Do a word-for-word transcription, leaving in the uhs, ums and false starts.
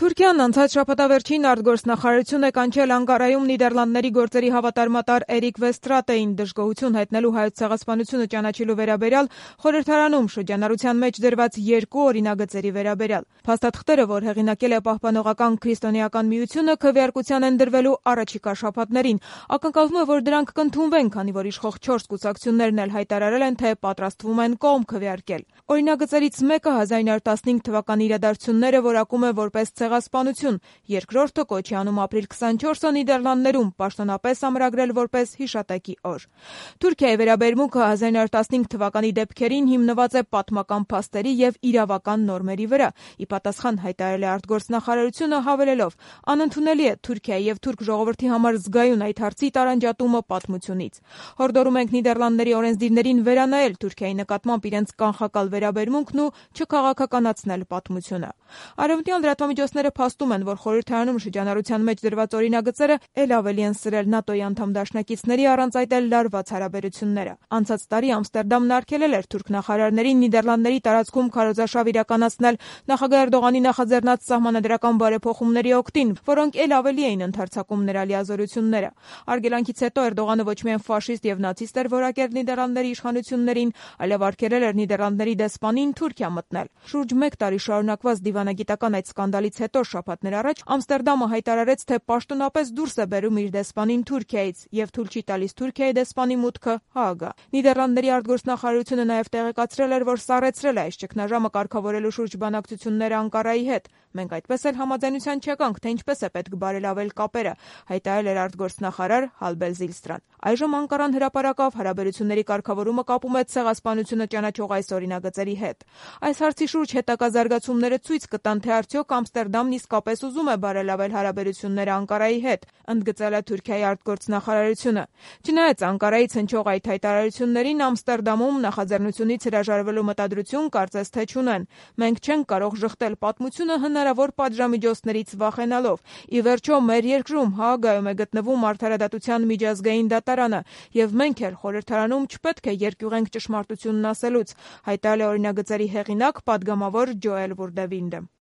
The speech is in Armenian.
Թուրքիան անցած շաբաթավերջին արտգործնախարարություն է կանչել Անկարայում Նիդերլանդների գործերի հավատարմատար Էրիկ Վեստրատեին դժգոհություն հայտնելու Հայոց ցեղասպանությունը ճանաչելու վերաբերյալ խորհրդարանում շրջանառության մեջ դրված երկու օրինագծերի վերաբերյալ։ Փաստաթղթերը, որ հեղինակել է Պահպանողական քրիստոնեական միությունը, քվեարկության են դրվելու առաջիկա շաբաթներին։ Ակնկալվում է, որ դրանք կընդունվեն, քանի որ իշխող չորս կուսակցություններն էլ հայտարարել են, թե պատրաստվում են կողմ քվեարկել։ Օրինագծերից մեկը հազար իննյակ տասնհինգ թվականի իրադարձությունները որակում է որպես ցեղասպանություն, երկրորդը կոչի անում ապրիլ քսանչորսը Նիդերլանդներում պաշտոնապես ամրագրել որպես հիշատակի օր։ Թուրքիայի վերաբերմունքը հազար իննյակ տասնհինգ թվականի դեպքերին հիմնված է պատմական փաստերի եւ իրավական նորմերի վրա։ Ի պատասխան հայտարարել է արտգործնախարարությունը հավելելով. անընդունելի է Թուրքիայի եւ թուրք ժողովրդի համար զգայուն այդ հարցի տարանջատումը պատմությունից։ Հորդորում ենք Նիդերլանդների օրենսդիրներին վերանայել Թուրքիայի նկատմամբ իրենց կանխակալ վերաբերմունքն ու չքաղաքականացնել պատմությունը։ Արևմտյան լրատվամիջոցները փաստում են, որ խորհրդարանում շրջանառության մեջ դրված օրինագծերը ել ավելի են սրել ՆԱՏՕ-ի անդամ դաշնակիցների առանց այդ էլ լարված հարաբերությունները։ Անցած տարի Ամստերդամն արգելել էր թուրք նախարարներին Նիդերլանդների տարածքում քարոզարշավ իրականացնել նախագահ Էրդողանի նախաձեռնած սահմանադրական բարեփոխումների օգտին, որոնք ել ավելի էին ընդարձակում նրա լիազորությունները։ Արգելանքից հետո Էրդողանը ոչ միայն ֆաշիստ եւ նացիստ էր որակել Նիդերլանդների իշխանություններին, այլև արգելել էր Նիդերլանդների դեսպանին Թուրքիա մտնել։ Շուրջ մեկ տարի շարունակված դիվանագիտական այդ սկանդալից հետո շաբաթներ առաջ Ամստերդամը հայտարարեց, թե պաշտոնապես դուրս է բերում իր դեսպանին Թուրքիայից եւ թույլ չի տալիս Թուրքիայի դեսպանի մուտքը Հաագա։ Նիդերլանդների արտգործնախարարությունը նաեւ տեղեկացրել էր, որ սառեցրել է այս ճգնաժամը կարգավորելու շուրջ բանակցությունները Անկարայի հետ։ Մենք այդպես էլ համաձայնության չեկանք, թե ինչպես է պետք բարելավել կապերը, հայտարարել էր արտգործնախարար Հալբեր Զիլստրան։ Այժմ Անկարան հրապարակավ հարաբերությունների կարգավորումը կապում է ցեղասպանությունը ճանաչող այս օրինագծերի հետ։ Այս հարցի շուրջ հետագա զարգացումները ցույց կտան, թե արդյոք Ամստերդամն իսկապես ուզում է բարելավել հարաբերությունները Անկարայի հետ, ընդգծել է Թուրքիայի արտգործնախարարությունը։ Չնայած Անկարայից հնչող այդ հայտարարություններին Ամստերդամում նախաձեռնությունից հրաժարվելու մտադրություն կարծես թե չունեն։ Մենք չենք կարող ժխտել պատմությունը հնարավոր պատժամիջոցներից վախենալով։ Ի վերջո, մեր երկրում Հաագայում է գտնվում Արդարադատության միջազգային դատարանը, եւ մենք էլ խորհրդարանում չպետք է երկյուղենք ճշմարտությունն ասելուց, հայտարարել է օրինագծերի հեղինակ, պատգամավոր Ջոել Վուրդևինդը։